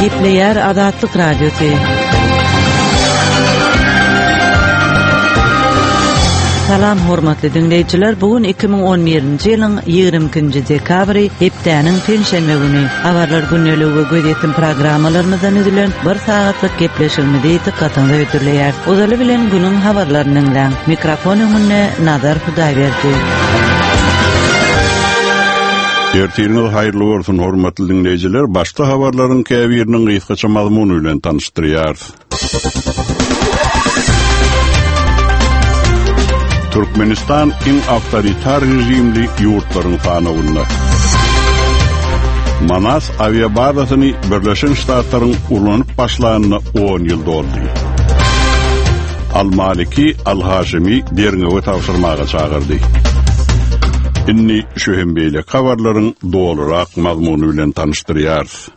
Gepleýär Azatlyk Radiosy. Salam hormatly diňleýjiler, bu gün 2011-nji ýylyň 22-nji dekabry, hepdäniň penşenbe güni. Habarlar gündeligi we gözýetim programmalarymyzdan düzülen bir sagatlyk gepleşigimizi dykgatyňyza hödürleýäris. Ozaly bilen günüň habarlaryny diňläň. Mikrofon öňünde Nazar Hudaýberdi. Ertiriňiz haýyrly bolsun, hormatly diňleýjiler! Başda habarlaryň käbiriniň gysgaça mazmuny bilen tanyşdyrýarys. Türkmenistan iň awtoritar režimli ýurtlaryň sanawynda. Manas awiabazasyny Birleşen Ştatlaryň ulanyp başlanyna 10 ýyl doldy. Al-Maliki Al-Haşimi derňewe tabşyrmaga çagyrdy. Indi şu hem beýleki habarlaryň dolurak mazmuny bilen tanyşdyrýarys.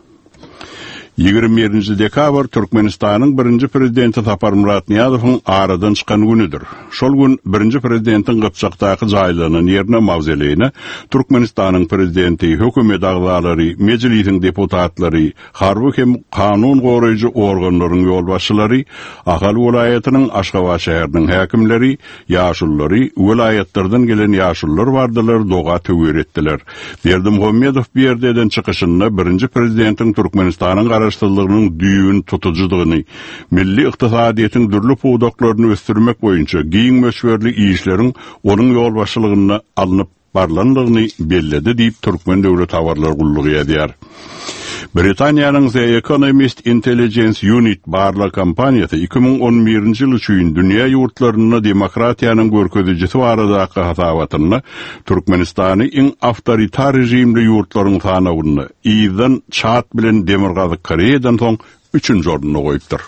21-nji dekabr Türkmenistanyň birinji prezidenti Saparmyrat Nyýazowyň aradan çykan günüdir. Şol gün birinji prezidentiň Gypjakdaky jaýlanan ýerine mawzoleýine Türkmenistanyň prezidenti, hökümet agzalary, Mejlisiň deputatlary, harby hem kanun goraýjy organlaryň ýolbaşçylary, Ahal welaýatynyň, Aşgabat şäheriniň häkimleri, ýaşululary, welaýatlardan gelen ýaşulular bardylar, doga-töwir etdiler. Berdimuhamedow bu ýerde eden çykyşynda birinji prezidentiň Türkmenistanyň garaşsyzlygynyň düýbüni tutujydygyny, milli ykdysadyýetiň dürli pudaklaryny ösdürmek boýunça giň möçberli işleriň onuň ýolbaşçylygynda alnyp barlandygyny belledi diýip, Türkmen döwlet habarlar gullugy ýazýar. Britaniýanyň The Economist Intelligence Unit barlag kompaniýasy 2011-nji ýyl üçin dünýä ýurtlarynda demokratiýanyň görkezijisi baradaky hasabatynda Türkmenistany iň awtoritar režimli ýurtlaryň sanawynda yzdan Çad bilen Demirgazyk Koreýadan soň üçünji orunda goýupdyr.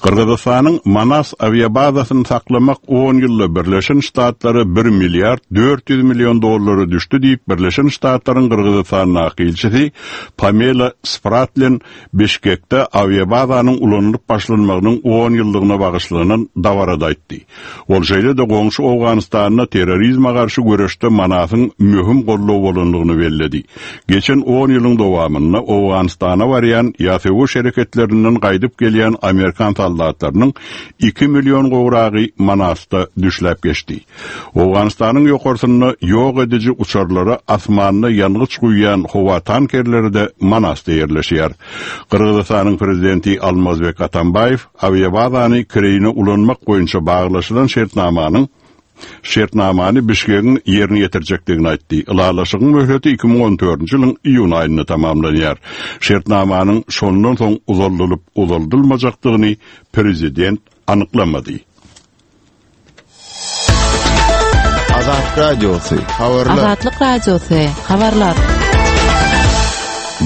Gyrgyzystanyň Manas awiabazasyny saklamak on ýylda Birleşen Ştatlara bir milliard 400 million dollara düşdi diýip, Birleşen Ştatlaryň Gyrgyzystandaky ilçisi Pamela Spratlen Bişkekde awiabazanyň ulanylyp başlanmagynyň on ýyllygyna bagyşlanan dabarada aýtdy. Ol şeýle-de goňşy Owganystanda terrorizme garşy göreşde Manasyň möhüm goldaw bolandygyny belledi. Geçen on ýylyň dowamynda Owganystana barýan ýa söweş hereketlerinden gaýdyp gelýän amerikan soldatlarynyň iki million gowragy Manasda düşläp geçdi. Owganystanyň ýokarsynda ýok ediji uçarlara asmanda ýangyç guýýan howa tankerleri-de Manasda ýerleşýär. Gyrgyzystanyň prezidenti Almazbek Atambaýew awiabazany kireýine ulanmak boýunça baglaşylan şertnamanyň şertnamany Bişkegiň ýerine ýetirjekdigini aýtdy. Ylalaşygyň möhleti 2014-nji ýylyň iýun aýynda tamamlanýar. Şertnamanyň şondan soň uzaldylyp-uzaldylmajakdygyny prezident anyklamady. Azatlyk Radiosy, habarlar. Azatlyk Radiosy, habarlar.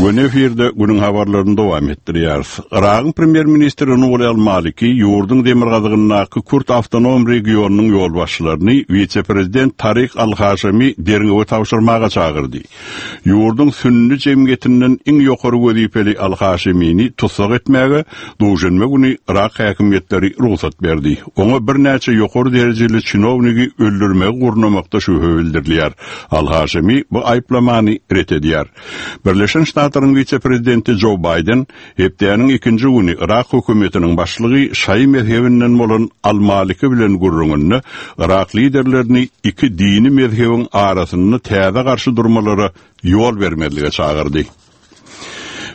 Göni efirde günüň habarlaryny dowam etdirýäris. Yragyň premýer-ministri Nuri al-Maliki ýurduň demirgazygyndaky Kürt awtonom regionynyň ýolbaşçylaryny wise-prezident Tarik al-Haşemi derňewe tabşyrmaga çagyrdy. Ýurduň sünni jemgyýetinden iň ýokary wezipeli al-Haşemini tussag etmäge duşenbe güni yrak häkimiýetleri rugsat berdi. Oňa birnäçe ýokary derejeli çinownigi öldürmegi gurnamakda şübhe bildirilýär. Al-Haşemi bu aýyplamany ret edýär. Birleşen Ştatlaryň wise-prezidenti Jo Baýden hepdäniň ikinji güni yrak hökümetiniň başlygy şaýy mezhebinden bolan al-Maliki bilen gürrüňinde yrak liderlerini iki dini mezhebiň arasynda täze garşy durmalara ýol bermezlige çagyrdy.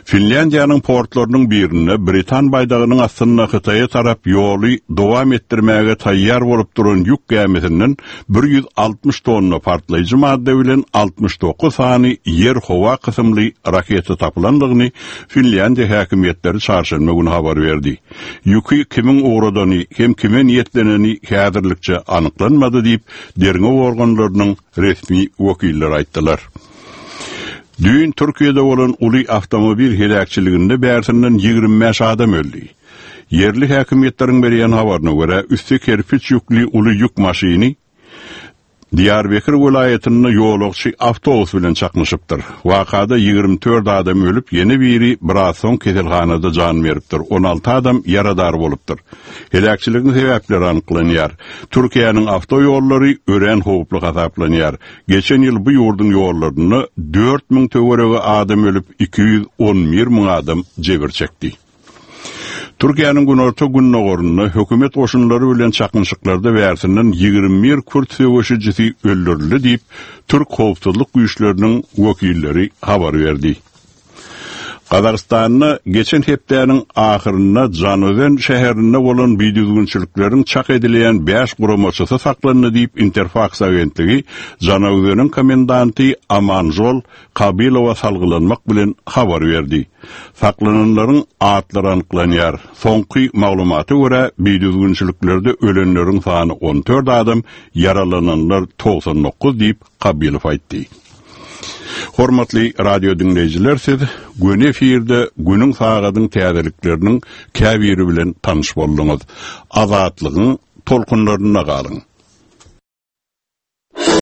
Finlýandiýanyň portlarynyň birinde britan baýdagynyň astynda Hytaýa tarap ýoly dowam etdirmäge taýýar bolup duran ýük gämisinden 160 tonna partlaýjy madda bilen 69 sany ýer-howa kysymly raketa tapylandygyny Finlýandiýa häkimiýetleri çarşenbe güni habar berdi. Ýüki kimiň ugradany hem kime niýetleneni häzirlikçe anyklanmady diýip, derňew organlarynyň resmi wekilleri aýtdylar. Düýn Türkiýede bolan uly awtomobil heläkçiliginde bärsinden 25 adam öldi. Ýerli häkimiýetleriň berýän habaryna görä, üsti kerpiç ýükli uly ýük maşyny. Diýarbekir welaýatynda ýolagçy awtobus bilen çaknyşypdyr. Wakada 24 adam ölüp, ýene biri biraz soň keselhanada jan beripdir, 16 adam ýaradar bolupdyr. Heläkçiligiň sebäpleri anyklanýar. Türkiýäniň awtoýollary örän howply hasaplanýar. Geçen ýyl bu ýurduň ýollarynda 4000 töweregi adam ölüp, 211 müň adam jebir çekdi. Türkiýäniň günorta-gündogarynda hökümet goşunlary bilen çaknyşyklarda bärsinden 21 kürt söweşijisi öldürildi diýip, türk howpsuzlyk güýçleriniň wekilleri habar berdi. Gazagystanda geçen hepdäniň ahyrynda Žanaözen şäherinde bolan bidüzgünçilikleriň çak edilýän bäş guramaçysy saklandy diýip, Interfaks agentligi Žanaözeniň komendanty Amanžol Kabylowa salgylanmak bilen habar berdi. Saklananlaryň atlary anyklanýar. Soňky maglumata görä, bidüzgünçiliklerde ölenleriň sany 14 adam, ýaralananlar 99 diýip, Kabylow aýtdy. Hormatly radio diňleýjiler siz göni efirde günüň sagadyň täzelikleriniň käbiri bilen tanyş bolduňyz. Azatlygyň tolkunlarynda galyň.